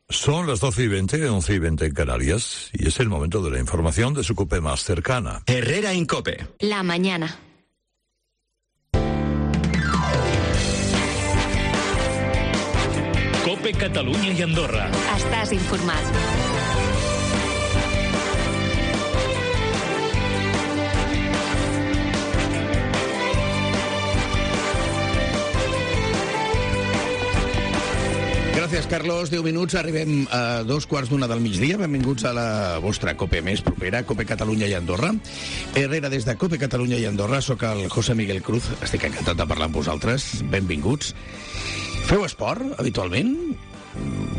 Son las 12:20, 11:20 en Canarias, y es el momento de la información de su COPE más cercana. Herrera en COPE. La mañana. COPE Catalunya i Andorra. Estàs informat. Gràcies, Carlos. 10 minuts, arribem a 2:15 del migdia. Benvinguts a la vostra COPE més propera, COPE Catalunya i Andorra. Herrera, des de COPE Catalunya i Andorra, sóc el José Miguel Cruz. Estic encantat de parlar amb vosaltres. Benvinguts. Feu esport, habitualment?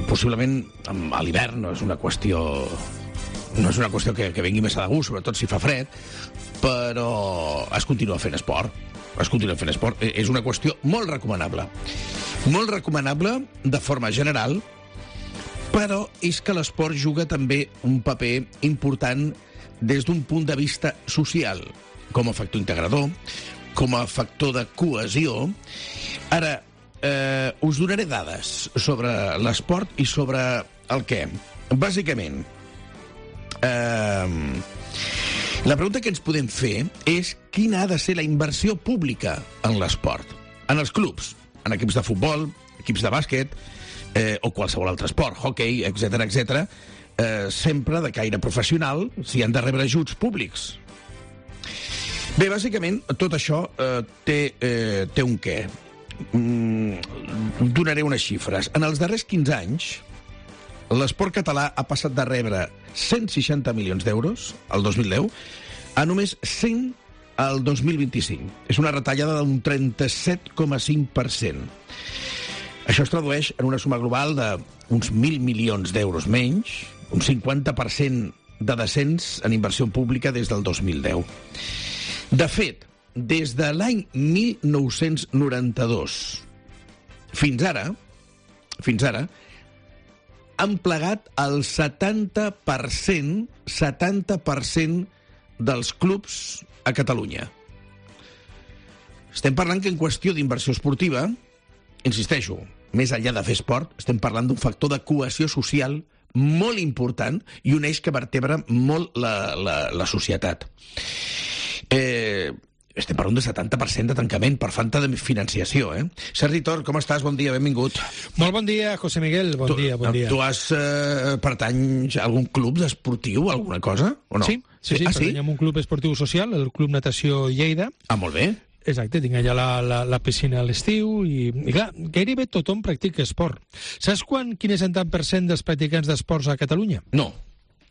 Possiblement a l'hivern no és una qüestió que vingui més a de gust, sobretot si fa fred, però es continua fent esport. És una qüestió molt recomanable. Molt recomanable de forma general, però és que l'esport juga també un paper important des d'un punt de vista social, com a factor integrador, com a factor de cohesió. Ara, us donaré dades sobre l'esport i sobre el què. Bàsicament, la pregunta que ens podem fer és quina ha de ser la inversió pública en l'esport, en els clubs, en equips de futbol, equips de bàsquet o qualsevol altre esport, hockey, etc., sempre de caire professional, si han de rebre ajuts públics. Bé, bàsicament, tot això té un què. Donaré unes xifres. En els darrers 15 anys, l'esport català ha passat de rebre 160 milions d'euros el 2010 a només 100 al 2025. És una retallada d'un 37,5%. Això es tradueix en una suma global d'uns 1.000 milions d'euros menys, un 50% de descens en inversió pública des del 2010. De fet, des de l'any 1992 fins ara, han plegat el 70% dels clubs a Catalunya. Estem parlant que en qüestió d'inversió esportiva, insisteixo, més enllà de fer esport, estem parlant d'un factor de cohesió social molt important i un eix que vertebra molt la societat. Estem parlant d'un 70% de tancament per falta de financiació, Sergi Tor, com estàs? Bon dia, benvingut. Molt bon dia, José Miguel, bon dia. Tu pertanys a algun club esportiu, alguna cosa, o no? Sí, pertany a un club esportiu social, el Club Natació Lleida. Ah, molt bé. Exacte, tinc allà la piscina a l'estiu i clar, gairebé tothom practica esport. Saps quin és el tant per cent dels practicants d'esports a Catalunya? No.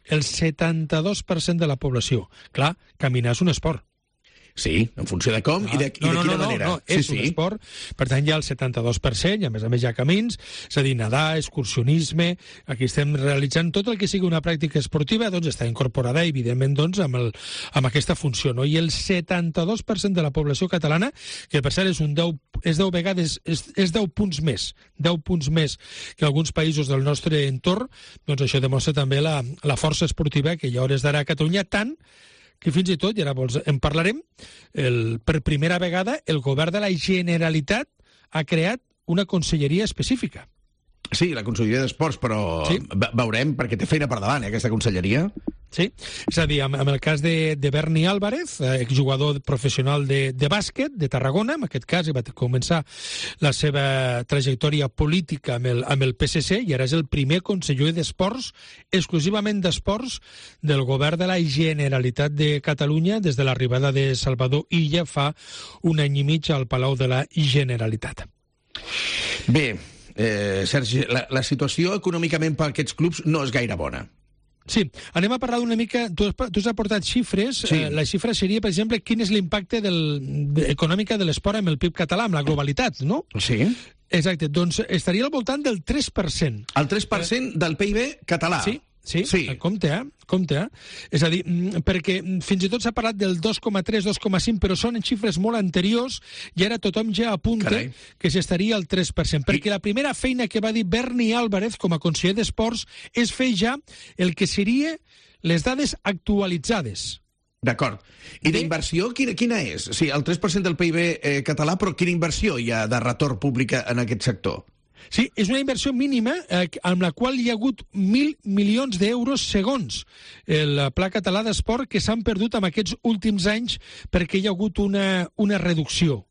El 72% de la població. Clar, caminar és un esport. Sí, en funció de com i de quina manera. No, és un esport, per tant hi ha el 72%, i a més hi ha camins, és a dir, nedar, excursionisme, aquí estem realitzant tot el que sigui una pràctica esportiva, doncs està incorporada, evidentment, doncs, amb aquesta funció, no? I el 72% de la població catalana, que per cert és 10 vegades, és 10 punts més que alguns països del nostre entorn, doncs això demostra també la força esportiva que hi ha hores d'ara a Catalunya, tant que fins i tot, i ara en parlarem, per primera vegada el govern de la Generalitat ha creat una conselleria específica. Sí, la conselleria d'Esports, però sí. Veurem, perquè té feina per davant, aquesta conselleria. Sí, és a dir, amb el cas de Berni Álvarez, exjugador professional de bàsquet de Tarragona, en aquest cas va començar la seva trajectòria política amb el PSC i ara és el primer conseller d'Esports, exclusivament d'Esports, del govern de la Generalitat de Catalunya des de l'arribada de Salvador Illa fa un any i mig al Palau de la Generalitat. Bé, Sergi, la situació econòmicament per aquests clubs no és gaire bona. Sí, anem a parlar d'una mica... Tu has aportat xifres. Sí. La xifra seria, per exemple, quin és l'impacte econòmic de l'esport amb el PIB català, amb la globalitat, no? Sí. Exacte, doncs estaria al voltant del 3%. El 3% del PIB català? Sí. Compte. És a dir, perquè fins i tot s'ha parlat del 2,3, 2,5, però són xifres molt anteriors i ara tothom ja apunta que s'estaria al 3%. Perquè la primera feina que va dir Berni Álvarez com a conseller d'Esports és fer ja el que seria les dades actualitzades. D'acord. I d'inversió, quina és? Sí, el 3% del PIB català, però quina inversió hi ha de retorn públic en aquest sector? Sí, és una inversió mínima amb la qual hi ha hagut 1.000 milions d'euros segons el Pla Català d'Esport que s'han perdut en aquests últims anys perquè hi ha hagut una reducció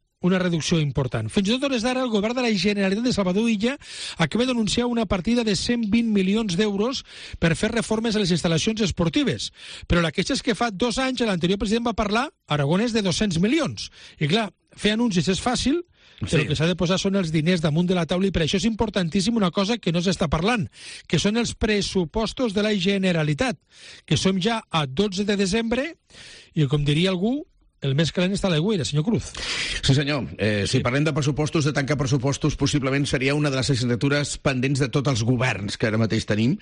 important. Fins i tot hores d'ara, el govern de la Generalitat de Salvador Illa acaba d'anunciar una partida de 120 milions d'euros per fer reformes a les instal·lacions esportives. Però la queixa és que fa 2 anys l'anterior president va parlar, Aragonès, de 200 milions. I clar, fer anuncis és fàcil, però el que s'ha de posar són els diners damunt de la taula i per això és importantíssim una cosa que no s'està parlant, que són els pressupostos de la Generalitat, que som ja a 12 de desembre i, com diria algú, el més calent està a l'aigüera, senyor Cruz. Sí, senyor. Si parlem de pressupostos, de tancar pressupostos, possiblement seria una de les assignatures pendents de tots els governs que ara mateix tenim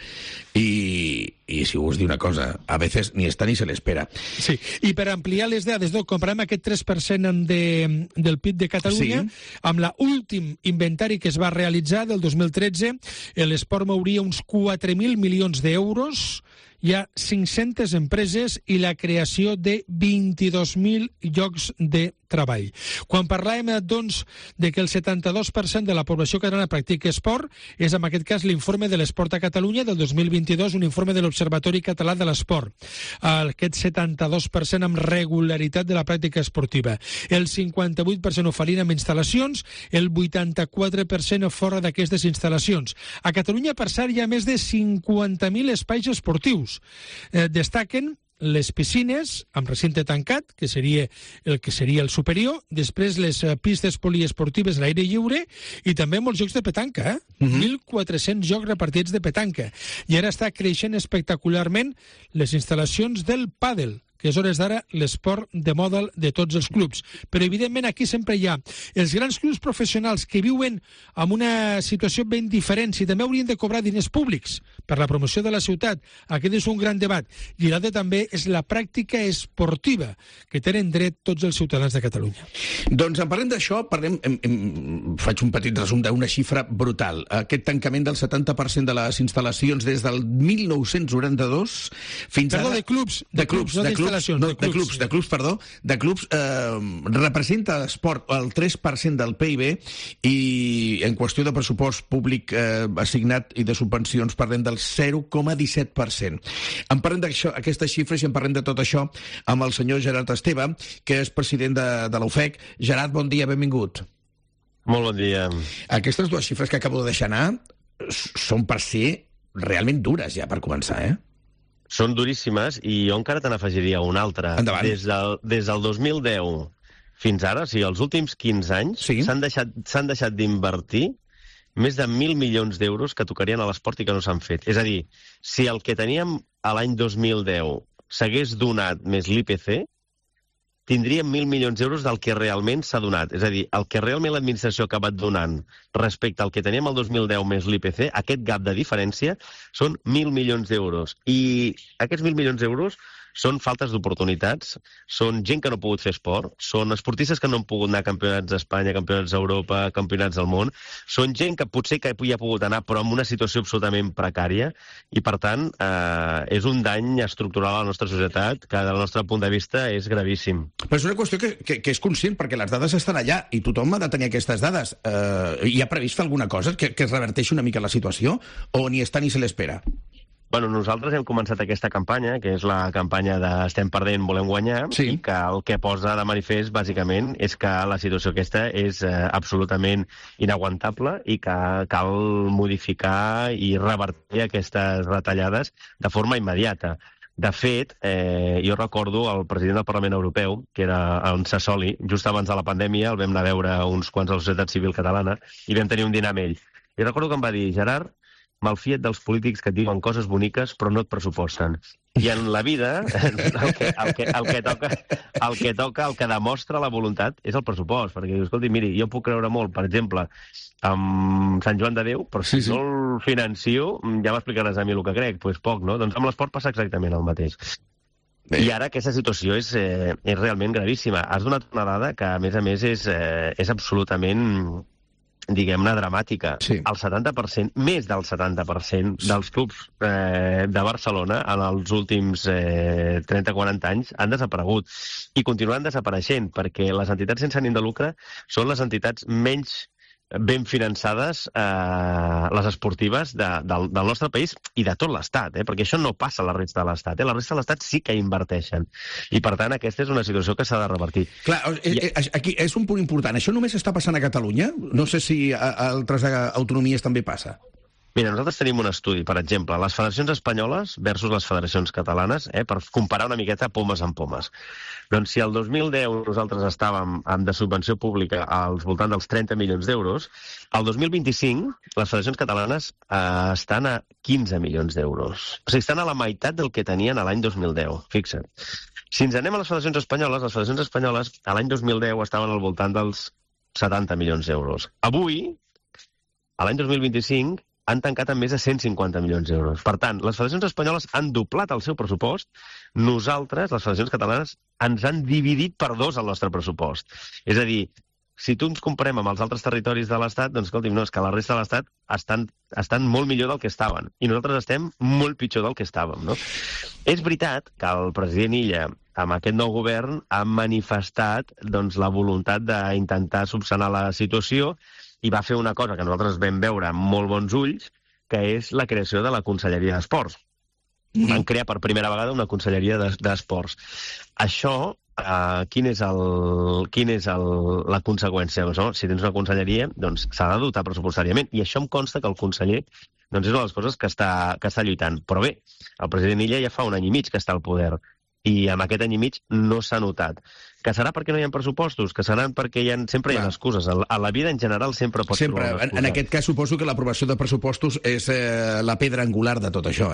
i si us diu una cosa, a veces ni està ni se l'espera. Sí, i per ampliar les dades, comparem aquest 3% del PIB de Catalunya amb l'últim inventari que es va realitzar del 2013, l'esport mouria uns 4.000 milions d'euros, hi ha 500 empreses i la creació de 22.000 llocs de treball. Quan parlàvem, doncs, de que el 72% de la població catalana practica esport, és en aquest cas l'informe de l'Esport a Catalunya del 2022, un informe de l'Observatori Català de l'Esport. Aquest 72% amb regularitat de la pràctica esportiva. El 58% ho farien amb instal·lacions, el 84% fora d'aquestes instal·lacions. A Catalunya, per cert, hi ha més de 50.000 espais esportius. Destaquen les piscines amb recinte tancat, que seria el superior, després les pistes poliesportives a l'aire lliure i també molts jocs de petanca, 1.400 jocs repartits de petanca. I ara està creixent espectacularment les instal·lacions del pàdel, que és hores d'ara l'esport de moda de tots els clubs. Però, evidentment, aquí sempre hi ha els grans clubs professionals que viuen en una situació ben diferent, si també haurien de cobrar diners públics per la promoció de la ciutat. Aquest és un gran debat. I l'altre també és la pràctica esportiva que tenen dret tots els ciutadans de Catalunya. Doncs en parlem d'això, faig un petit resum d'una xifra brutal. Aquest tancament del 70% de les instal·lacions des del 1992 fins ara... Perdó, de clubs, no d'instal·lacions. De clubs, representa l'esport el 3% del PIB i en qüestió de pressupost públic assignat i de subvencions parlem del 0,17%. En parlem d'aquestes xifres i en parlem de tot això amb el senyor Gerard Esteve, que és president de l'UFEC. Gerard, bon dia, benvingut. Molt bon dia. Aquestes dues xifres que acabo de deixar anar són per ser realment dures ja per començar, Són duríssimes i jo encara te n'afegiria una altra. Endavant. Des del 2010 fins ara, o sigui, els últims 15 anys, s'han deixat d'invertir més de 1.000 milions d'euros que tocarien a l'esport i que no s'han fet. És a dir, si el que teníem a l'any 2010 s'hagués donat més l'IPC, tindríem 1.000 milions d'euros del que realment s'ha donat. És a dir, el que realment l'administració ha acabat donant respecte al que teníem el 2010 més l'IPC, aquest gap de diferència són 1.000 milions d'euros. I aquests 1.000 milions d'euros són faltes d'oportunitats, són gent que no ha pogut fer esport, són esportistes que no han pogut anar a campionats d'Espanya, campionats d'Europa, campionats del món, són gent que potser que hi ha pogut anar però en una situació absolutament precària i, per tant, és un dany estructural a la nostra societat que, del nostre punt de vista, és gravíssim. Però és una qüestió que és conscient, perquè les dades estan allà i tothom ha de tenir aquestes dades. Hi ha previst fer alguna cosa que es reverteixi una mica la situació o ni està ni se l'espera? Bueno, nosaltres hem començat aquesta campanya, que és la campanya de Estem perdent, volem guanyar, i que el que posa de manifest, bàsicament, és que la situació aquesta és absolutament inaguantable i que cal modificar i revertir aquestes retallades de forma immediata. De fet, jo recordo el president del Parlament Europeu, que era en Sassoli, just abans de la pandèmia, el vam anar a veure uns quants de la societat civil catalana i vam tenir un dinar amb ell. I recordo que em va dir, Gerard, malfia't dels polítics que et diuen coses boniques però no et pressuposten. I en la vida el que demostra la voluntat és el pressupost, perquè dius, escolti, miri, jo puc creure molt, per exemple, amb Sant Joan de Déu, però si no el financio, ja m'explicaràs a mi el que crec, doncs poc, no? Doncs amb l'esport passa exactament el mateix. I ara aquesta situació és realment gravíssima. Has donat una dada que, a més, és absolutament, diguem-ne, dramàtica. El 70%, més del 70% dels clubs de Barcelona en els últims 30-40 anys han desaparegut i continuen desapareixent perquè les entitats sense ànim de lucre són les entitats menys ben finançades les esportives del nostre país i de tot l'Estat, perquè això no passa a la resta de l'Estat. La resta de l'Estat sí que inverteixen. I, per tant, aquesta és una situació que s'ha de revertir. Clar, aquí és un punt important. Això només està passant a Catalunya? No sé si a altres autonomies també passa. Mira, nosaltres tenim un estudi, per exemple, les federacions espanyoles versus les federacions catalanes, per comparar una miqueta pomes amb pomes. Doncs si el 2010 nosaltres estàvem de subvenció pública al voltant dels 30 milions d'euros, el 2025 les federacions catalanes estan a 15 milions d'euros. O sigui, estan a la meitat del que tenien a l'any 2010, fixa't. Si ens anem a les federacions espanyoles a l'any 2010 estaven al voltant dels 70 milions d'euros. Avui, a l'any 2025, han tancat amb més de 150 milions d'euros. Per tant, les federacions espanyoles han doblat el seu pressupost. Nosaltres, les federacions catalanes, ens han dividit per 2 el nostre pressupost. És a dir, si tu ens comparem amb els altres territoris de l'Estat, doncs escolti'm, no, és que la resta de l'Estat estan molt millor del que estaven. I nosaltres estem molt pitjor del que estàvem, no? És veritat que el president Illa, amb aquest nou govern, ha manifestat la voluntat d'intentar subsanar la situació i va fer una cosa que nosaltres vam veure amb molt bons ulls, que és la creació de la Conselleria d'Esports. Van crear per primera vegada una Conselleria d'Esports. Això, quina és la conseqüència? Si tens una conselleria, doncs s'ha de dotar pressupostàriament. I això em consta que el conseller és una de les coses que està lluitant. Però bé, el president Illa ja fa un any i mig que està al poder. I amb aquest any i mig no s'ha notat. Que serà perquè no hi ha pressupostos, que seran perquè sempre hi ha excuses. A la vida, en general, sempre pots trobar una excusa. En aquest cas, suposo que l'aprovació de pressupostos és la pedra angular de tot això,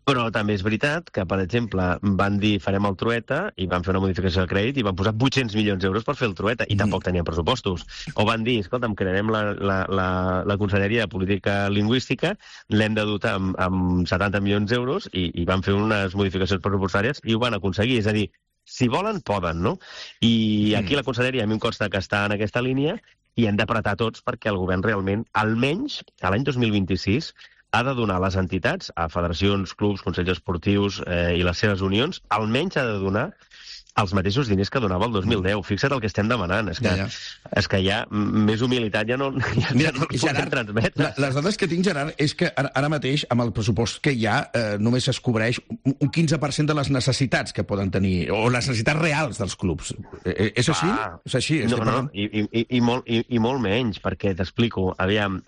Però també és veritat que, per exemple, van dir farem el Trueta i van fer una modificació de crèdit i van posar 800 milions d'euros per fer el Trueta i tampoc tenien pressupostos. O van dir, escolta'm, crearem la Conselleria de Política Lingüística, l'hem de dotar amb 70 milions d'euros i van fer unes modificacions pressupostàries i ho van aconseguir. És a dir, si volen, poden, no? I aquí la Conselleria a mi em consta que està en aquesta línia i hem d'apretar tots perquè el govern realment, almenys a l'any 2026, ha de donar a les entitats, a federacions, clubs, consells esportius i les seves unions, almenys ha de donar els mateixos diners que donava el 2010. Fixa't el que estem demanant. És que ja més humilitat ja no podem transmetre. Les dades que tinc, Gerard, és que ara mateix, amb el pressupost que hi ha, només es cobreix un 15% de les necessitats que poden tenir, o les necessitats reals dels clubs. És així? És així? No, i molt menys, perquè t'explico. Aviam,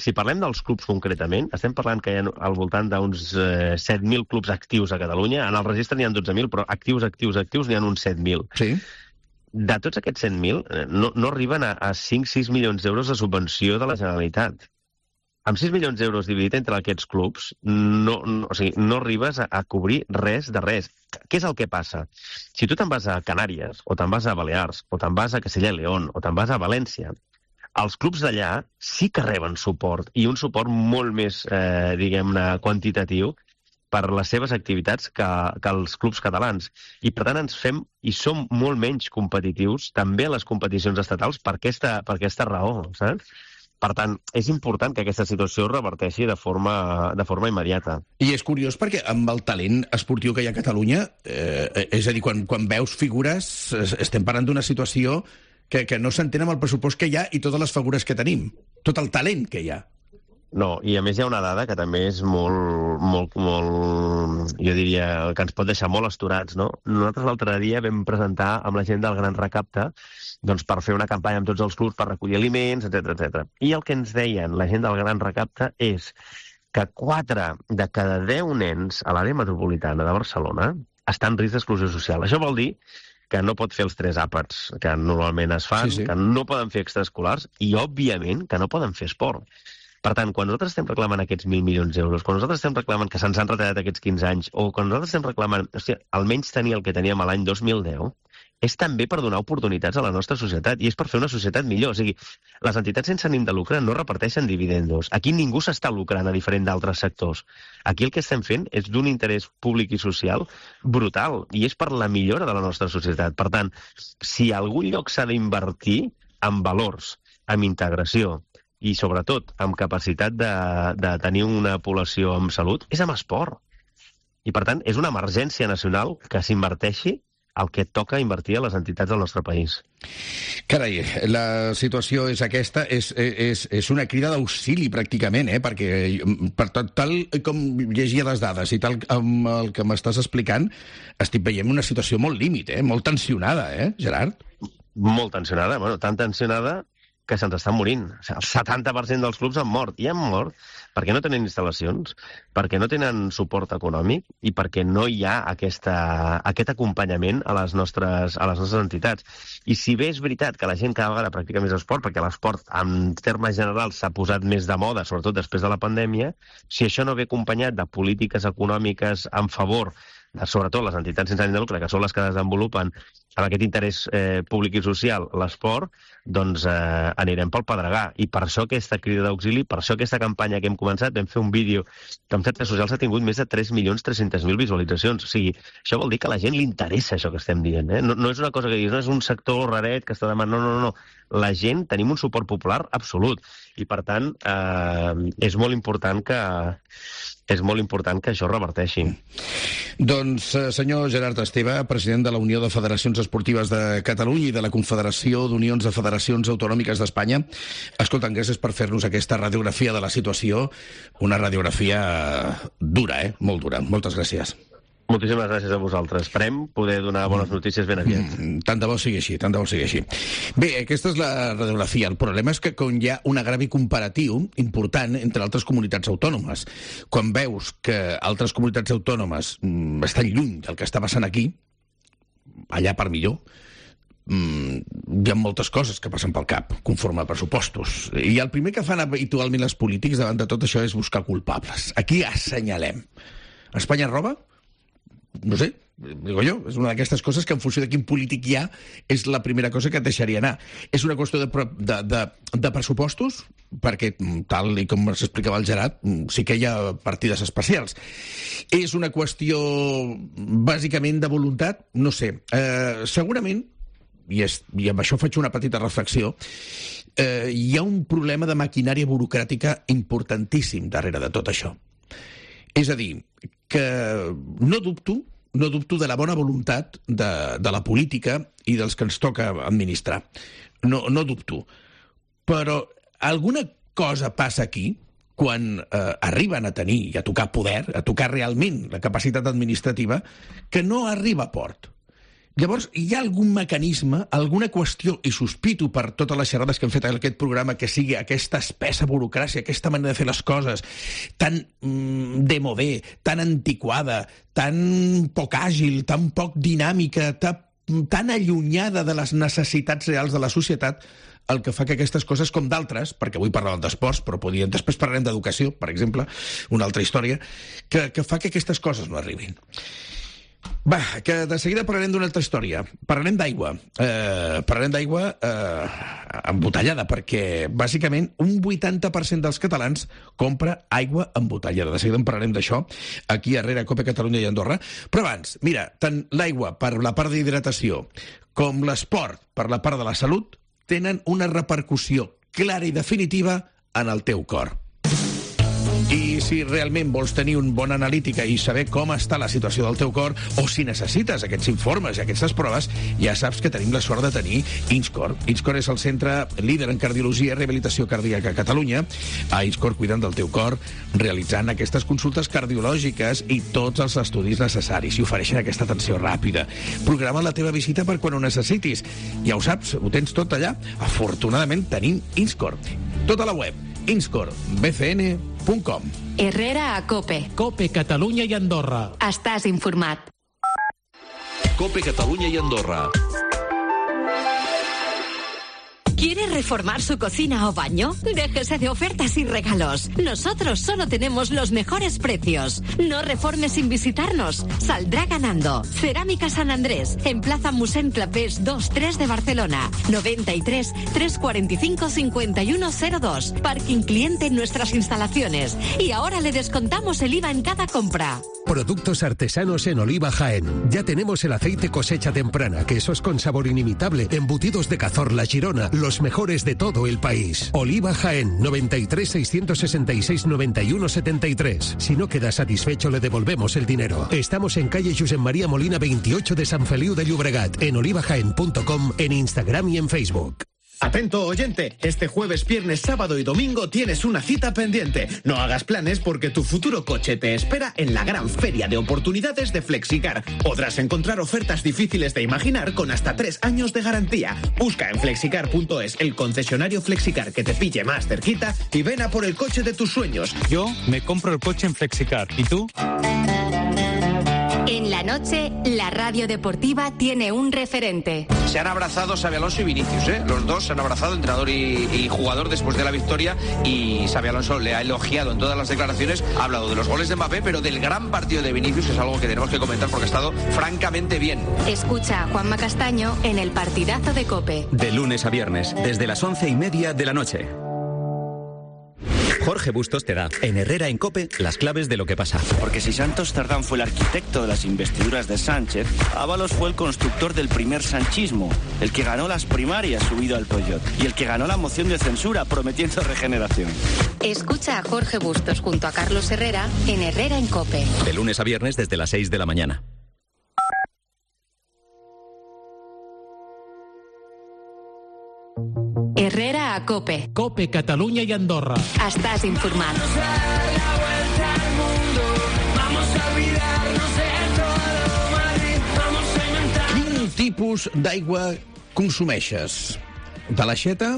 si parlem dels clubs concretament, estem parlant que hi ha al voltant d'uns 7.000 clubs actius a Catalunya. En el registre n'hi ha 12.000, però actius n'hi ha uns 7.000. Sí. De tots aquests 100.000, no arriben a 5-6 milions d'euros de subvenció de la Generalitat. Amb 6 milions d'euros dividit entre aquests clubs, no arribes a cobrir res de res. Què és el que passa? Si tu te'n vas a Canàries, o te'n vas a Balears, o te'n vas a Castella i León, o te'n vas a València, els clubs d'allà sí que reben suport, i un suport molt més, diguem-ne, quantitatiu, per les seves activitats que els clubs catalans. I, per tant, ens fem i som molt menys competitius també a les competicions estatals per aquesta raó, saps? Per tant, és important que aquesta situació reverteixi de forma immediata. I és curiós perquè amb el talent esportiu que hi ha a Catalunya, és a dir, quan veus figures, estem parlant d'una situació que no s'entén amb el pressupost que hi ha i totes les figures que tenim, tot el talent que hi ha. No, i a més hi ha una dada que també és molt, jo diria, que ens pot deixar molt astorats, no? Nosaltres l'altre dia vam presentar amb la gent del Gran Recapte doncs per fer una campanya amb tots els clubs per recollir aliments, etc. I el que ens deien la gent del Gran Recapte és que 4 de cada 10 nens a l'àrea metropolitana de Barcelona estan en risc d'exclusió social. Això vol dir que no pot fer els 3 àpats que normalment es fan, que no poden fer extraescolars i, òbviament, que no poden fer esport. Per tant, quan nosaltres estem reclamant aquests 1.000 milions d'euros, quan nosaltres estem reclamant que se'ns han retallat aquests 15 anys, o quan nosaltres estem reclamant, almenys tenir el que teníem l'any 2010, és també per donar oportunitats a la nostra societat, i és per fer una societat millor. O sigui, les entitats sense ànim de lucre no reparteixen dividendos. Aquí ningú s'està lucrant, a diferent d'altres sectors. Aquí el que estem fent és d'un interès públic i social brutal, i és per la millora de la nostra societat. Per tant, si a algun lloc s'ha d'invertir en valors, en integració, i sobretot amb capacitat de tenir una població amb salut, és amb esport. I per tant, és una emergència nacional que s'inverteixi el que toca invertir a les entitats del nostre país. Carai, la situació és aquesta, és una crida d'auxili pràcticament, perquè per tal com llegia les dades i tal amb el que m'estàs explicant, estic veient una situació molt límit, molt tensionada, Gerard? Molt tensionada, tan tensionada que se'ns estan morint. El 70% dels clubs han mort. I han mort perquè no tenen instal·lacions, perquè no tenen suport econòmic i perquè no hi ha aquest acompanyament a les nostres entitats. I si bé és veritat que la gent cada vegada practica més esport, perquè l'esport, en termes generals, s'ha posat més de moda, sobretot després de la pandèmia, si això no ve acompanyat de polítiques econòmiques en favor de, sobretot, les entitats sense ànim de lucre, que són les que desenvolupen amb aquest interès públic i social l'esport, doncs anirem pel pedregar. I per això aquesta crida d'auxili, per això aquesta campanya que hem començat, vam fer un vídeo que en xarxes socials ha tingut més de 3.300.000 visualitzacions. O sigui, això vol dir que a la gent li interessa això que estem dient. No és una cosa que diguis, no és un sector raret que està demanant, no. La gent tenim un suport popular absolut. I, per tant, és molt important que això reverteixi. Doncs, senyor Gerard Esteve, president de la Unió de Federacions Esportives de Catalunya i de la Confederació d'Unions de Federacions Autonòmiques d'Espanya, escolta'm, gràcies per fer-nos aquesta radiografia de la situació, una radiografia dura, molt dura. Moltes gràcies. Moltíssimes gràcies a vosaltres. Esperem poder donar bones notícies ben aviat. Tant de bo sigui així, Bé, aquesta és la radiografia. El problema és que quan hi ha un agrevi comparatiu important entre altres comunitats autònomes, quan veus que altres comunitats autònomes estan lluny del que està passant aquí, allà per millor, hi ha moltes coses que passen pel cap, conforme a pressupostos. I el primer que fan habitualment els polítics davant de tot això és buscar culpables. Aquí assenyalem. Espanya roba? No sé, digo jo, és una d'aquestes coses que en funció de quin polític hi ha és la primera cosa que et deixaria anar. És una qüestió de pressupostos, perquè tal i com s'explicava el Gerard, sí que hi ha partides especials. És una qüestió bàsicament de voluntat? No sé. Segurament, i amb això faig una petita reflexió, hi ha un problema de maquinària burocràtica importantíssim darrere de tot això. És a dir, que no dubto de la bona voluntat de la política i dels que ens toca administrar. No dubto. Però alguna cosa passa aquí quan arriben a tenir i a tocar poder, a tocar realment la capacitat administrativa, que no arriba a port. Llavors, hi ha algun mecanisme, alguna qüestió, i sospito per totes les xerrades que hem fet en aquest programa, que sigui aquesta espessa burocràcia, aquesta manera de fer les coses tan demodé, tan antiquada, tan poc àgil, tan poc dinàmica, tan allunyada de les necessitats reals de la societat, el que fa que aquestes coses, com d'altres, perquè avui parlàvem d'esports, però després parlarem d'educació, per exemple, una altra història, que fa que aquestes coses no arribin. Va, que de seguida parlarem d'una altra història. Parlarem d'aigua. Parlarem d'aigua embotellada, perquè, bàsicament, un 80% dels catalans compra aigua embotellada. De seguida en parlarem d'això, aquí darrere a Cope Catalunya i Andorra. Però abans, mira, tant l'aigua per la part d'hidratació com l'esport per la part de la salut tenen una repercussió clara i definitiva en el teu cor. I si realment vols tenir una bona analítica i saber com està la situació del teu cor, o si necessites aquests informes i aquestes proves, ja saps que tenim la sort de tenir INSCOR. INSCOR és el centre líder en cardiologia i rehabilitació cardíaca a Catalunya. A INSCOR cuiden del teu cor, realitzant aquestes consultes cardiològiques i tots els estudis necessaris, i ofereixen aquesta atenció ràpida. Programa la teva visita per quan ho necessitis. Ja ho saps, ho tens tot allà. Afortunadament tenim INSCOR. Tota la web, inscorbcn.com. Herrera a Cope. Cope Catalunya i Andorra. Estàs informat. Cope Catalunya i Andorra. ¿Quiere reformar su cocina o baño? Déjese de ofertas y regalos. Nosotros solo tenemos los mejores precios. No reforme sin visitarnos. Saldrá ganando. Cerámica San Andrés, en Plaza Musén Clapés 2-3 de Barcelona. 93 345 5102. Parking cliente en nuestras instalaciones. Y ahora le descontamos el IVA en cada compra. Productos artesanos en Oliva Jaén. Ya tenemos el aceite cosecha temprana, quesos con sabor inimitable, embutidos de Cazorla, Girona, los mejores de todo el país. Oliva Jaén, 93 666 91 73. Si no queda satisfecho, le devolvemos el dinero. Estamos en calle Josep María Molina 28 de Sant Feliu de Llobregat, en olivajaen.com, en Instagram y en Facebook. Atento oyente, este jueves, viernes, sábado y domingo tienes una cita pendiente. No hagas planes porque tu futuro coche te espera en la gran feria de oportunidades de Flexicar. Podrás encontrar ofertas difíciles de imaginar con hasta 3 años de garantía. Busca en flexicar.es el concesionario Flexicar que te pille más cerquita y ven a por el coche de tus sueños. Yo me compro el coche en Flexicar. ¿Y tú? En la noche, la radio deportiva tiene un referente. Se han abrazado Xabi Alonso y Vinicius, ¿eh? Los dos se han abrazado, entrenador y jugador, después de la victoria, y Xabi Alonso le ha elogiado en todas las declaraciones, ha hablado de los goles de Mbappé, pero del gran partido de Vinicius, que es algo que tenemos que comentar porque ha estado francamente bien. Escucha a Juanma Castaño en el partidazo de COPE. De lunes a viernes, desde las 11:30 de la noche. Jorge Bustos te da, en Herrera en COPE, las claves de lo que pasa. Porque si Santos Cerdán fue el arquitecto de las investiduras de Sánchez, Ábalos fue el constructor del primer sanchismo, el que ganó las primarias subido al Pollot y el que ganó la moción de censura prometiendo regeneración. Escucha a Jorge Bustos junto a Carlos Herrera en Herrera en COPE. De lunes a viernes desde las 6 de la mañana. Herrera a COPE. COPE, Catalunya i Andorra. Estàs informat. Quin tipus d'aigua consumeixes? De l'aixeta?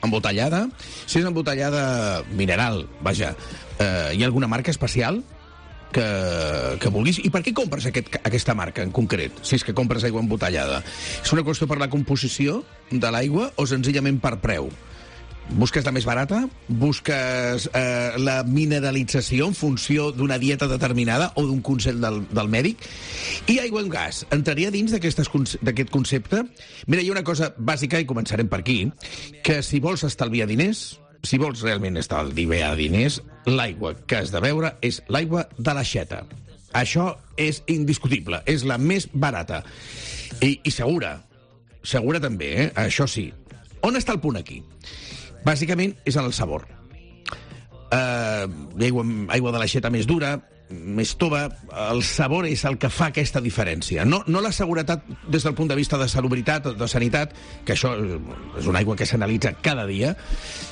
Embotellada? Si és embotellada mineral, vaja, hi ha alguna marca especial que vulguis? I per què compres aquesta marca en concret, si és que compres aigua embotellada? És una qüestió per la composició de l'aigua o senzillament per preu? Busques la més barata? Busques la mineralització en funció d'una dieta determinada o d'un consell del mèdic? I aigua amb gas, entraria dins d'aquest concepte? Mira, hi ha una cosa bàsica, i començarem per aquí, que si vols estalviar diners, si vols realment estalviar diners, l'aigua que has de beure és l'aigua de l'aixeta. Això és indiscutible, és la més barata. I segura. Segura també, això sí. On està el punt aquí? Bàsicament és en el sabor. Aigua de l'aixeta més dura, més tova, el sabor és el que fa aquesta diferència. No la seguretat des del punt de vista de salubritat, de sanitat, que això és una aigua que s'analitza cada dia,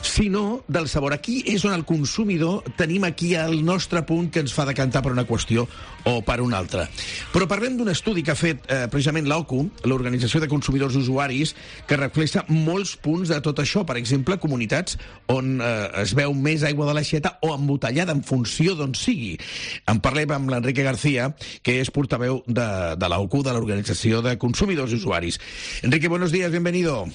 sinó del sabor. Aquí és on el consumidor tenim aquí el nostre punt que ens fa decantar per una qüestió o per una altra. Però parlem d'un estudi que ha fet precisament l'OCU, l'Organització de Consumidors i Usuaris, que reflexa molts punts de tot això. Per exemple, comunitats on es veu més aigua de l'aixeta o embotellada en funció d'on sigui. En parlem amb l'Enrique García, que es portaveu de la OCU, de la Organización de Consumidores y Usuarios. Enrique, buenos días, bienvenido.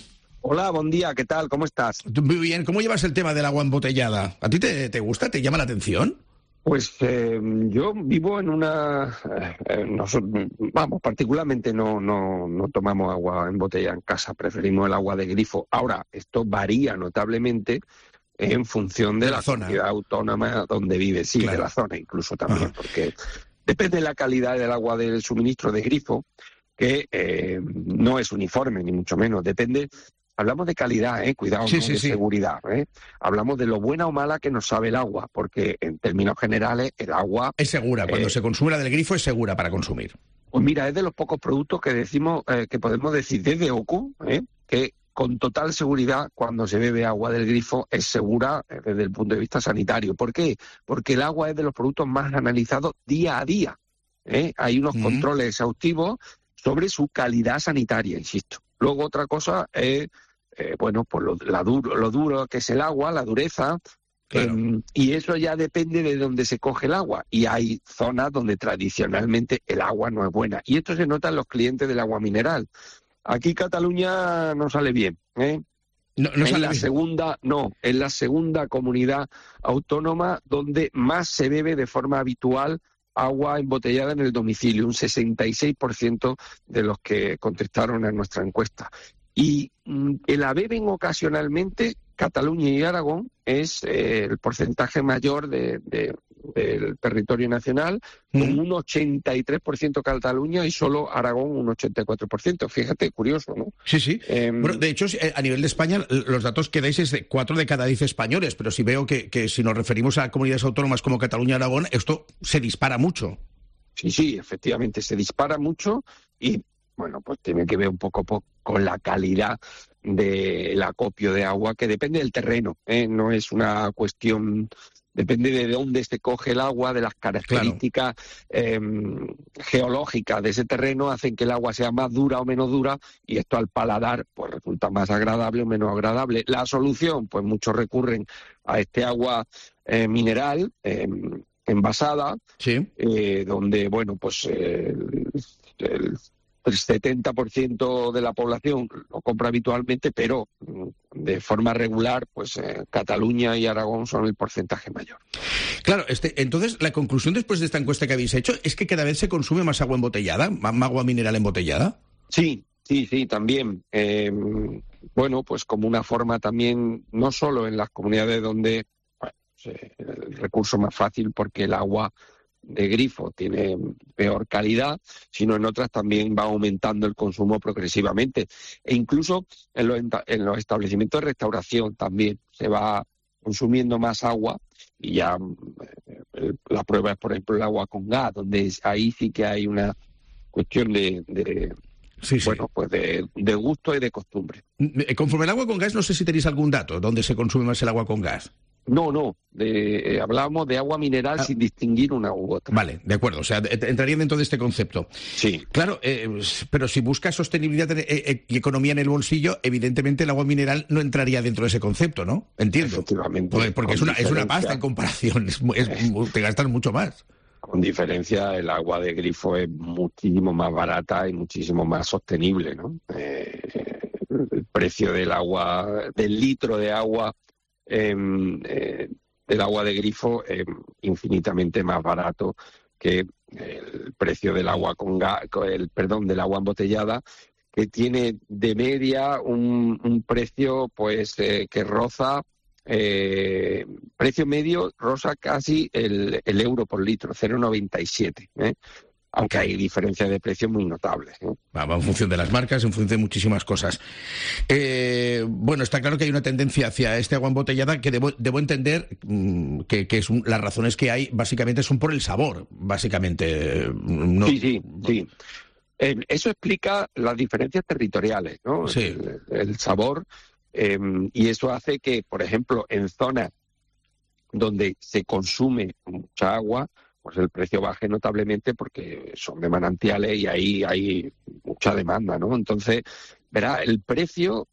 Hola, buen día, ¿qué tal? ¿Cómo estás? Muy bien, ¿cómo llevas el tema del agua embotellada? ¿A ti te gusta? ¿Te llama la atención? Pues yo vivo en una... particularmente no tomamos agua embotellada en casa, preferimos el agua de grifo. Ahora, esto varía notablemente en función de la comunidad autónoma donde vive, sí, claro. De la zona incluso también, porque depende de la calidad del agua del suministro de grifo, que no es uniforme, ni mucho menos, depende... Hablamos de calidad, cuidado, sí, no de seguridad. Hablamos de lo buena o mala que nos sabe el agua, porque en términos generales el agua... Es segura, cuando se consume la del grifo es segura para consumir. Pues mira, es de los pocos productos que decimos, que podemos decir desde OCU, que con total seguridad cuando se bebe agua del grifo es segura desde el punto de vista sanitario. ¿Por qué? Porque el agua es de los productos más analizados día a día. Hay unos controles exhaustivos sobre su calidad sanitaria, insisto. Luego otra cosa es, pues lo duro que es el agua, la dureza, claro. Y eso ya depende de dónde se coge el agua. Y hay zonas donde tradicionalmente el agua no es buena. Y esto se nota en los clientes del agua mineral. Aquí Cataluña no sale bien, Es la segunda comunidad autónoma donde más se bebe de forma habitual agua embotellada en el domicilio, un 66% de los que contestaron a nuestra encuesta. y que la beben ocasionalmente Cataluña y Aragón es el porcentaje mayor del territorio nacional, con un 83% Cataluña y solo Aragón un 84%. Fíjate, curioso, ¿no? Sí, sí. Bueno, de hecho, a nivel de España, los datos que dais es de 4 de cada 10 españoles, pero si veo que si nos referimos a comunidades autónomas como Cataluña y Aragón, esto se dispara mucho. Sí, efectivamente, se dispara mucho y, bueno, pues tiene que ver un poco con la calidad del acopio de agua, que depende del terreno, no es una cuestión, depende de dónde se coge el agua, de las características geológicas de ese terreno, hacen que el agua sea más dura o menos dura, y esto al paladar pues resulta más agradable o menos agradable. La solución, pues muchos recurren a este agua mineral, envasada, sí. Donde, bueno, pues el 70% de la población lo compra habitualmente, pero de forma regular, pues Cataluña y Aragón son el porcentaje mayor. Claro, entonces la conclusión después de esta encuesta que habéis hecho es que cada vez se consume más agua embotellada, más agua mineral embotellada. Sí, también. Bueno, pues como una forma también, no solo en las comunidades donde el recurso más fácil porque el agua de grifo tiene peor calidad, sino en otras también va aumentando el consumo progresivamente. E incluso en los establecimientos de restauración también se va consumiendo más agua, y ya la prueba es, por ejemplo, el agua con gas, donde ahí sí que hay una cuestión de gusto y de costumbre. Conforme el agua con gas, no sé si tenéis algún dato, ¿dónde se consume más el agua con gas? No, hablábamos de agua mineral sin distinguir una u otra. Vale, de acuerdo, o sea, entraría dentro de este concepto. Sí. Claro, pero si buscas sostenibilidad y economía en el bolsillo, evidentemente el agua mineral no entraría dentro de ese concepto, ¿no? Entiendo. Efectivamente. Porque es una pasta en comparación, te gastas mucho más. Con diferencia, el agua de grifo es muchísimo más barata y muchísimo más sostenible, ¿no? El precio del litro de agua, del agua de grifo, infinitamente más barato que el precio del agua del agua embotellada, que tiene de media un precio pues que roza, precio medio roza casi el euro por litro, 0,97, aunque hay diferencias de precios muy notables. Va en función de las marcas, en función de muchísimas cosas. Bueno, está claro que hay una tendencia hacia este agua embotellada que debo entender que las razones que hay básicamente son por el sabor, básicamente. No... Sí. Eso explica las diferencias territoriales, ¿no? Sí. El sabor, y eso hace que, por ejemplo, en zonas donde se consume mucha agua, pues el precio baje notablemente porque son de manantiales y ahí hay mucha demanda, ¿no? Entonces, verá, el precio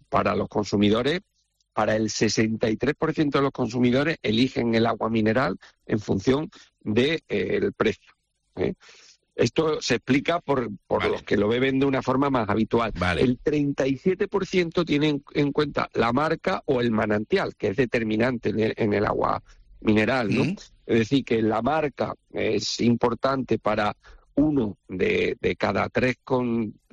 para los consumidores, para el 63% de los consumidores eligen el agua mineral en función del precio. Esto se explica por los que lo beben de una forma más habitual. Vale. El 37% tiene en cuenta la marca o el manantial, que es determinante en el agua mineral, ¿no? Es decir, que la marca es importante para 1 de cada 3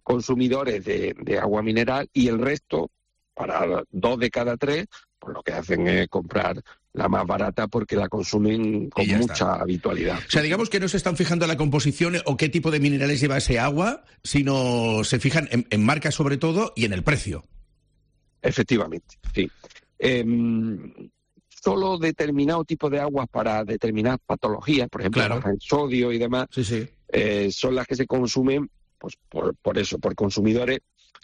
consumidores de agua mineral, y el resto, para 2 de cada 3, pues lo que hacen es comprar la más barata porque la consumen con mucha habitualidad. O sea, digamos que no se están fijando en la composición o qué tipo de minerales lleva ese agua, sino se fijan en marca sobre todo y en el precio. Efectivamente, sí. Solo determinado tipo de aguas para determinadas patologías, por ejemplo, baja en sodio y demás, son las que se consumen pues por eso, por consumidores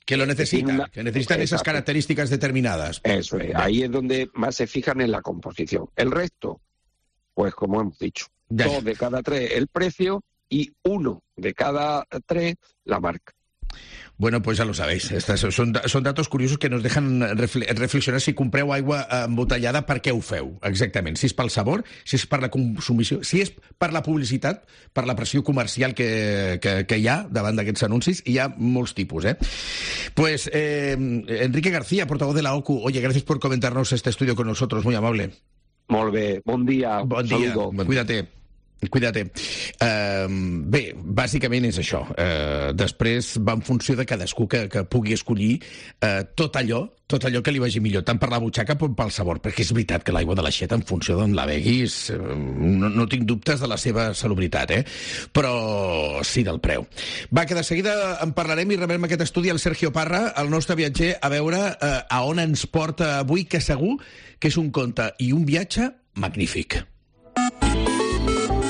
que lo necesitan, que necesitan esas características determinadas. Eso es, ahí es donde más se fijan en la composición. El resto, pues como hemos dicho, 2 de cada 3 el precio y 1 de cada 3 la marca. Bueno, pues ya lo sabéis. Son datos curiosos que nos dejan reflexionar si compreu aigua embotellada, per què ho feu, exactament. Si és pel sabor, si és per la consumició, si és per la publicitat, per la pressió comercial que hi ha davant d'aquests anuncis. Hi ha molts tipus, Pues, Enrique García, portavoz de la OCU, oye, gracias por comentarnos este estudio con nosotros, muy amable. Molt bé, bon dia. Bon dia, cuídate. Cuida-te. Bé, bàsicament és això. Després va en funció de cadascú que pugui escollir tot allò que li vagi millor, tant per la butxaca com pel sabor, perquè és veritat que l'aigua de l'aixeta, en funció d'on la beguis, no tinc dubtes de la seva salubritat, però sí del preu. Va, que de seguida en parlarem i rebrem aquest estudi al Sergio Parra, el nostre viatger, a veure a on ens porta avui, que segur que és un conte i un viatge magnífic.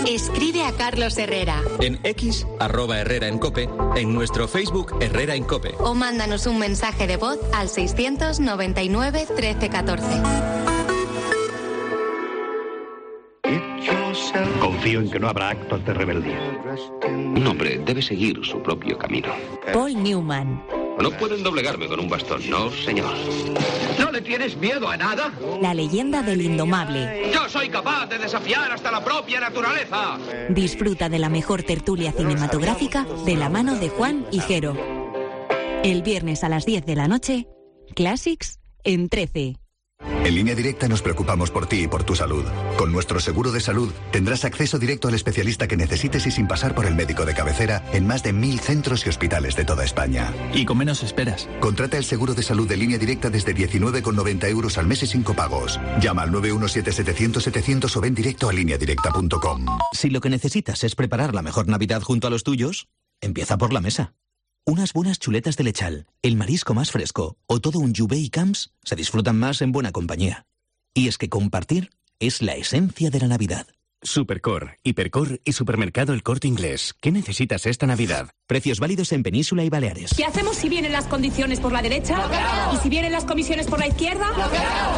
Escribe a Carlos Herrera. En X, @Herrera en Cope, en nuestro Facebook Herrera en Cope. O mándanos un mensaje de voz al 699 1314. Confío en que no habrá actos de rebeldía. Un hombre debe seguir su propio camino. Paul Newman. No pueden doblegarme con un bastón, no, señor. ¿No le tienes miedo a nada? La leyenda del indomable. Yo soy capaz de desafiar hasta la propia naturaleza. Disfruta de la mejor tertulia cinematográfica de la mano de Juan Higuero. El viernes a las 10 de la noche, Classics en 13. En Línea Directa nos preocupamos por ti y por tu salud. Con nuestro seguro de salud tendrás acceso directo al especialista que necesites y sin pasar por el médico de cabecera en más de 1000 centros y hospitales de toda España. Y con menos esperas. Contrata el seguro de salud de Línea Directa desde 19,90 € al mes y sin copagos. Llama al 917-700-700 o ven directo a lineadirecta.com. Si lo que necesitas es preparar la mejor Navidad junto a los tuyos, empieza por la mesa. Unas buenas chuletas de lechal, el marisco más fresco o todo un Juve y Camps se disfrutan más en buena compañía. Y es que compartir es la esencia de la Navidad. Supercor, Hipercor y Supermercado El Corte Inglés. ¿Qué necesitas esta Navidad? Precios válidos en Península y Baleares. ¿Qué hacemos si vienen las condiciones por la derecha? ¿Y si vienen las comisiones por la izquierda?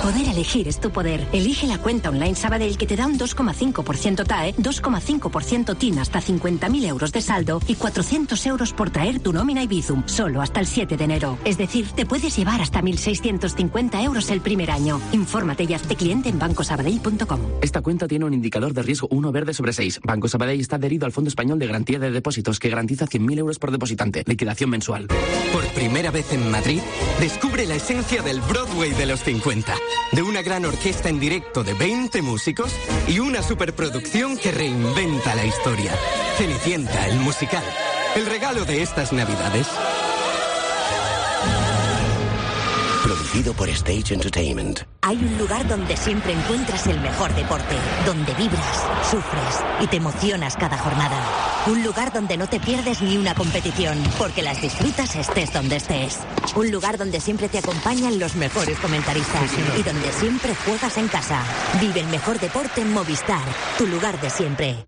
Poder elegir es tu poder. Elige la cuenta online Sabadell que te da un 2,5% TAE, 2,5% TIN hasta 50.000 euros de saldo y 400 euros por traer tu nómina y Bizum, solo hasta el 7 de enero. Es decir, te puedes llevar hasta 1.650 euros el primer año. Infórmate y hazte cliente en bancosabadell.com. Esta cuenta tiene un indicador de riesgo 1 verde sobre 6. Banco Sabadell está adherido al Fondo Español de Garantía de Depósitos, que garantiza 100.000 euros por depositante. Liquidación mensual. Por primera vez en Madrid, descubre la esencia del Broadway de los 50. De una gran orquesta en directo de 20 músicos y una superproducción que reinventa la historia. Cenicienta, el musical. El regalo de estas Navidades. Producido por Stage Entertainment. Hay un lugar donde siempre encuentras el mejor deporte, donde vibras, sufres y te emocionas cada jornada. Un lugar donde no te pierdes ni una competición, porque las disfrutas estés donde estés. Un lugar donde siempre te acompañan los mejores comentaristas y donde siempre juegas en casa. Vive el mejor deporte en Movistar, tu lugar de siempre.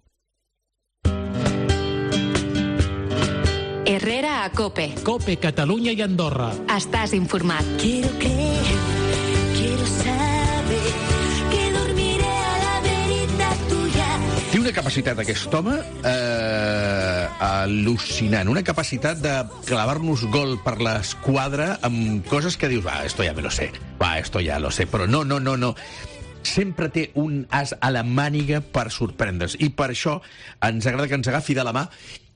Herrera a Cope. Cope, Catalunya i Andorra. Estàs informat. Quiero creer, quiero saber que dormiré a la verita tuya. Té una capacitat aquest home al·lucinant, una capacitat de clavar-nos gol per l'esquadra amb coses que dius, esto ja me lo sé, esto ja lo sé, però no. Sempre té un as a la màniga per sorprendre's, i per això ens agrada que ens agafi de la mà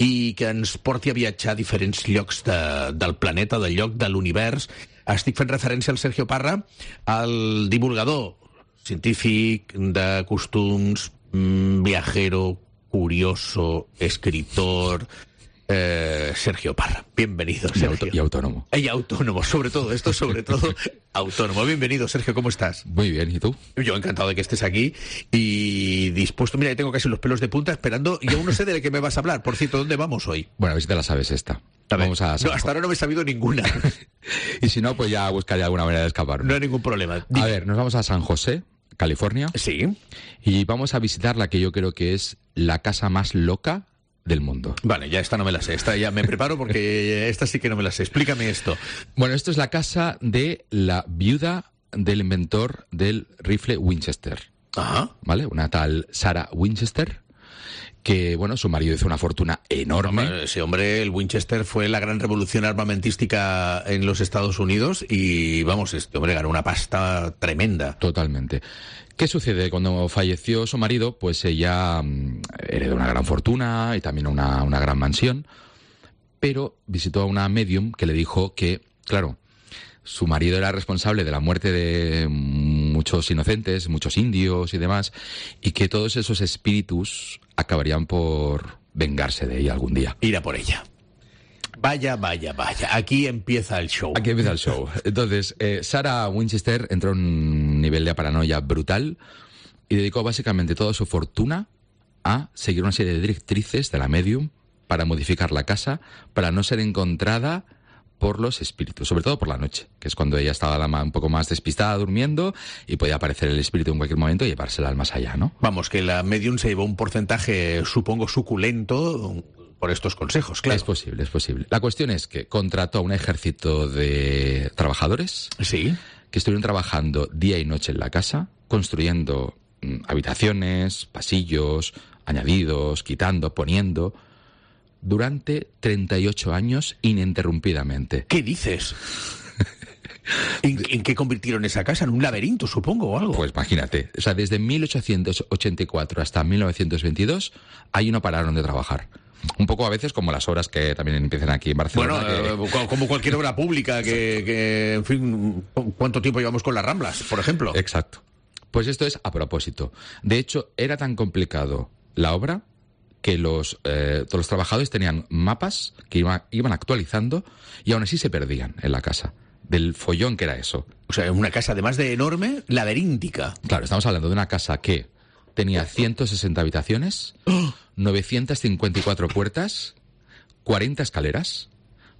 i que ens porti a viatjar a diferents llocs del planeta, del lloc de l'univers. Estic fent referència al Sergio Parra, el divulgador científic de costums, viajero, curioso, escritor... Sergio Parra, bienvenido, Sergio. Y autónomo. Y autónomo, sobre todo autónomo. Bienvenido, Sergio, ¿cómo estás? Muy bien, ¿y tú? Yo encantado de que estés aquí y dispuesto. Mira, tengo casi los pelos de punta esperando y aún no sé de qué me vas a hablar. Por cierto, ¿dónde vamos hoy? Bueno, a ver si te la sabes esta. Vamos a no, hasta ahora no me he sabido ninguna. Y si no, pues ya buscaré alguna manera de escapar. No hay ningún problema. A ver, nos vamos a San José, California. Sí. Y vamos a visitar la que yo creo que es la casa más loca del mundo. Vale, ya esta no me la sé. Esta ya me preparo porque esta sí que no me la sé. Explícame esto. Bueno, esto es la casa de la viuda del inventor del rifle Winchester. Ajá. ¿Vale? Una tal Sarah Winchester, que, bueno, su marido hizo una fortuna enorme. Ese hombre, el Winchester, fue la gran revolución armamentística en los Estados Unidos y, vamos, este hombre ganó una pasta tremenda. Totalmente. ¿Qué sucede? Cuando falleció su marido, pues ella heredó una gran fortuna y también una gran mansión, pero visitó a una medium que le dijo que, claro, su marido era responsable de la muerte de muchos inocentes, muchos indios y demás, y que todos esos espíritus acabarían por vengarse de ella algún día. Ir a por ella. Vaya. Aquí empieza el show. Entonces, Sarah Winchester entró en un nivel de paranoia brutal y dedicó básicamente toda su fortuna a seguir una serie de directrices de la medium para modificar la casa, para no ser encontrada por los espíritus, sobre todo por la noche, que es cuando ella estaba un poco más despistada durmiendo y podía aparecer el espíritu en cualquier momento y llevársela al más allá, ¿no? Vamos, que la medium se llevó un porcentaje, supongo, suculento por estos consejos, claro. Es posible. La cuestión es que contrató a un ejército de trabajadores que estuvieron trabajando día y noche en la casa, construyendo habitaciones, pasillos, añadidos, quitando, poniendo, durante 38 años ininterrumpidamente. ¿Qué dices? ¿En qué convirtieron esa casa? ¿En un laberinto, supongo, o algo? Pues imagínate, o sea, desde 1884 hasta 1922, ahí no pararon de trabajar. Un poco a veces como las obras que también empiezan aquí en Barcelona. Bueno, como cualquier obra pública que, en fin, ¿cuánto tiempo llevamos con las Ramblas, por ejemplo? Exacto. Pues esto es a propósito. De hecho, era tan complicado la obra que todos los trabajadores tenían mapas que iban actualizando y aún así se perdían en la casa. Del follón que era eso. O sea, una casa, además de enorme, laberíntica. Claro, estamos hablando de una casa que tenía 160 habitaciones, 954 puertas, 40 escaleras,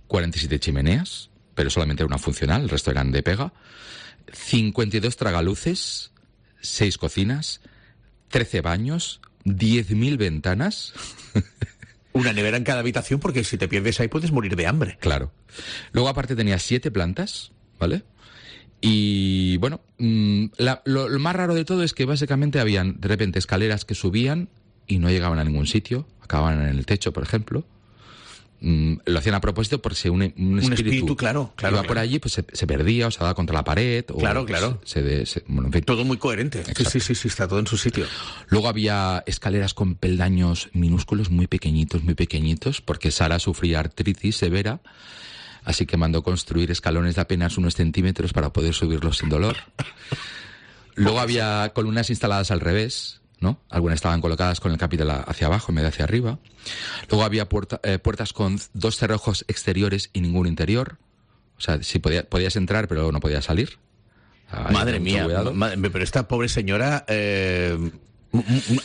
47 chimeneas, pero solamente una funcional, el resto eran de pega, 52 tragaluces, 6 cocinas, 13 baños, 10.000 ventanas. Una nevera en cada habitación, porque si te pierdes ahí puedes morir de hambre. Claro. Luego aparte tenía 7 plantas, ¿vale? Y bueno, lo más raro de todo es que básicamente habían de repente escaleras que subían y no llegaban a ningún sitio, acababan en el techo, por ejemplo. Lo hacían a propósito porque un espíritu claro, iba por allí, pues se perdía o se daba contra la pared. Claro. Bueno, en fin. Todo muy coherente. Sí, está todo en su sitio. Luego había escaleras con peldaños minúsculos, muy pequeñitos, porque Sara sufría artritis severa, así que mandó construir escalones de apenas unos centímetros para poder subirlos sin dolor. Luego había columnas instaladas al revés, ¿no? Algunas estaban colocadas con el capitel hacia abajo en vez de hacia arriba. Luego había puertas con 2 cerrojos exteriores y ningún interior. O sea, sí podías entrar, pero no podías salir. Madre mía, pero esta pobre señora...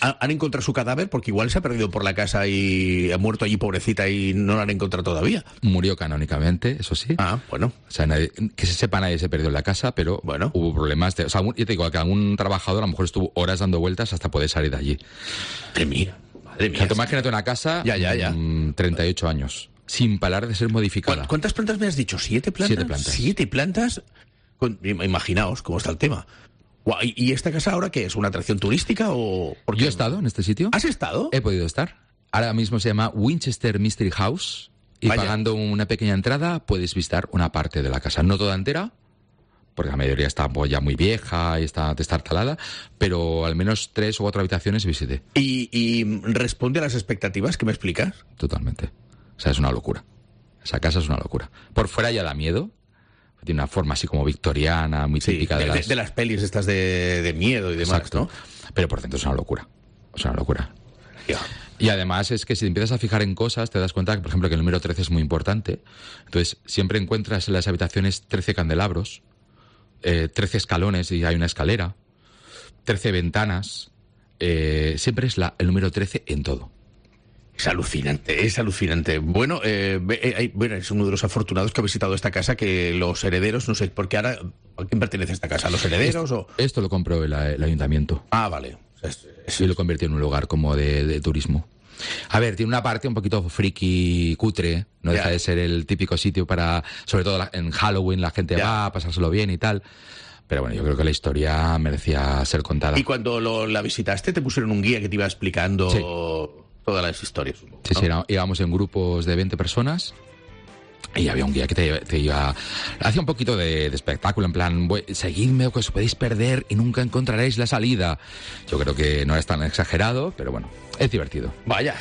¿Han encontrado su cadáver? Porque igual se ha perdido por la casa y ha muerto allí, pobrecita, y no la han encontrado todavía. Murió canónicamente, eso sí. Bueno. O sea, que se sepa, nadie se perdió en la casa, pero bueno, hubo problemas. O sea, yo te digo que algún trabajador a lo mejor estuvo horas dando vueltas hasta poder salir de allí. Madre mía. O sea, imagínate una casa, 38 años, sin parar de ser modificada. ¿Cuántas plantas me has dicho? ¿7 plantas? 7 plantas. 7 plantas. Imaginaos cómo está el tema. ¿Y esta casa ahora qué es? ¿Una atracción turística o...? Yo he estado en este sitio. ¿Has estado? He podido estar. Ahora mismo se llama Winchester Mystery House y pagando una pequeña entrada puedes visitar una parte de la casa. No toda entera, porque la mayoría está ya muy vieja y está destartalada, pero al menos 3 u 4 habitaciones visité. ¿Y responde a las expectativas que me explicas? Totalmente. O sea, es una locura. Esa casa es una locura. Por fuera ya da miedo. Tiene una forma así como victoriana, muy típica de las pelis estas de miedo y demás. Exacto. ¿No? Pero por dentro es una locura. Es una locura. Yeah. Y además es que si te empiezas a fijar en cosas, te das cuenta que, por ejemplo, que el número 13 es muy importante. Entonces, siempre encuentras en las habitaciones 13 candelabros, 13 escalones y hay una escalera, 13 ventanas. Siempre es el número 13 en todo. Es alucinante. Bueno, es uno de los afortunados que ha visitado esta casa, que los herederos, no sé, porque ahora, ¿a quién pertenece esta casa? ¿A los herederos o...? Esto lo compró el ayuntamiento. Ah, vale. Y lo convirtió en un lugar como de turismo. A ver, tiene una parte un poquito friki, cutre, no deja de ser el típico sitio para, sobre todo en Halloween, la gente va a pasárselo bien y tal. Pero bueno, yo creo que la historia merecía ser contada. ¿Y cuando la visitaste te pusieron un guía que te iba explicando...? Sí. Todas las historias. ¿No? Sí, íbamos en grupos de 20 personas y había un guía que te iba... Hacía un poquito de espectáculo, en plan, seguidme o que os podéis perder y nunca encontraréis la salida. Yo creo que no es tan exagerado, pero bueno, es divertido. Vaya,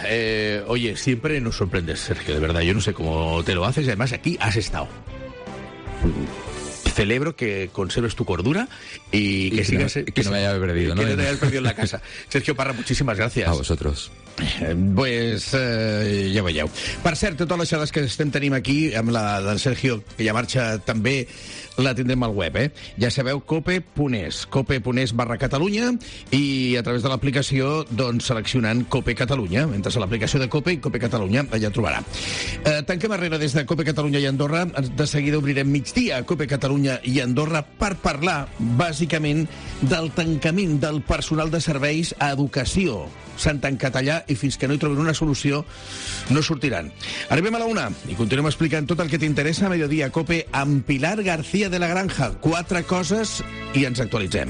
oye, siempre nos sorprendes, Sergio, de verdad. Yo no sé cómo te lo haces y además aquí has estado. Celebro que conserves tu cordura y que sigas... Que no me haya perdido, ¿no? Que no te hayas perdido en la casa. Sergio Parra, muchísimas gracias. A vosotros. pues ja veieu. Per cert, totes les xerrades que estem tenim aquí, amb la del Sergio, que ja marxa també, la tindrem al web, Ja sabeu, cope.es/Catalunya, i a través de l'aplicació, doncs, seleccionant Cope Catalunya. Entres a l'aplicació de Cope i Cope Catalunya, allà trobarà. Tanquem Herrera des de Cope Catalunya i Andorra. De seguida obrirem Migdia a Cope Catalunya i Andorra per parlar, bàsicament, del tancament del personal de serveis a educació. S'han tancat allà i fins que no hi trobin una solució no sortiran. Arribem a la 1 i continuem explicant tot el que t'interessa a Mediodía Cope amb Pilar García de la Granja. 4 coses i ens actualitzem.